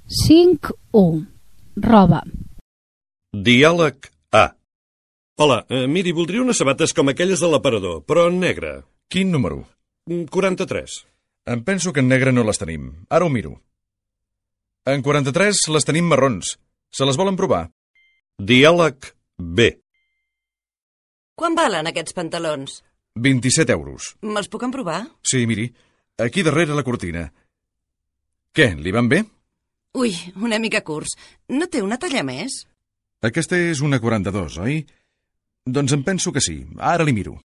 5.1. Roba. Diàleg A. Hola, miri, voldria unes sabates com aquelles de l'aparador, però en negre. Quin número? 43. Em penso que en negre no les tenim. Ara ho miro. En 43 les tenim marrons. Se les volen provar? Diàleg B. Quan valen aquests pantalons? 27 euros. Me'ls puc emprovar? Sí, miri. Aquí darrere la cortina. Què, li van bé? Ui, una mica curts. No té una talla més? Aquesta és una 42, oi? Doncs em penso que sí. Ara li miro.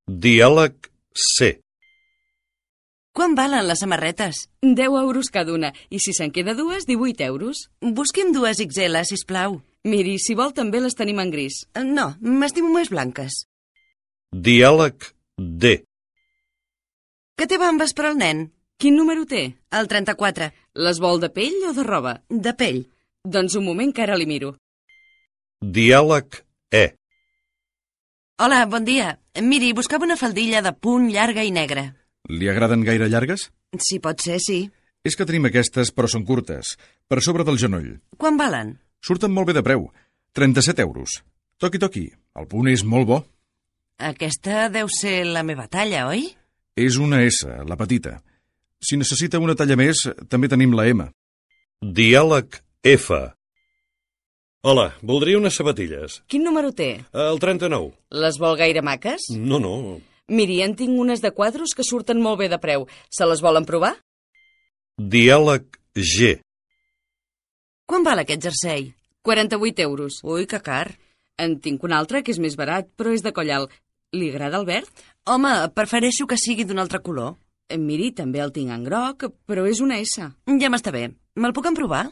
Diàleg C. Quan valen les samarretes? 10 euros cada una, i si se'n queda dues, 18 euros. Busqui'm dues XL, sisplau. Miri, si vol també les tenim en gris. No, m'estimo més blanques. Diàleg D. Que té bambes per al nen? Quin número té? El 34. Les vol de pell o de roba? De pell. Doncs un moment que ara li miro. Diàleg E. Hola, bon dia. Miri, buscava una faldilla de punt llarga i negra. Li agraden gaire llargues? Si pot ser, sí. És que tenim aquestes, però són curtes. Per sobre del genoll. Quan valen? Surten molt bé de preu. 37 euros. Toqui, toqui. El punt és molt bo. Aquesta deu ser la meva talla, oi? És una S, la petita. Si necessita una talla més, també tenim la M. Diàleg F. Hola, voldria unes sabatilles. Quin número té? El 39. Les vol gaire maques? No. Miri, en tinc unes de quadros que surten molt bé de preu. Se les volen provar? Diàleg G. Quan val aquest jersei? 48 euros. Ui, que car. En tinc un altre que és més barat, però és de coll alt. Li agrada el verd? Home, prefereixo que sigui d'un altre color. Miri, també el tinc en groc, però és una S. Ja m'està bé. Me'l puc emprovar?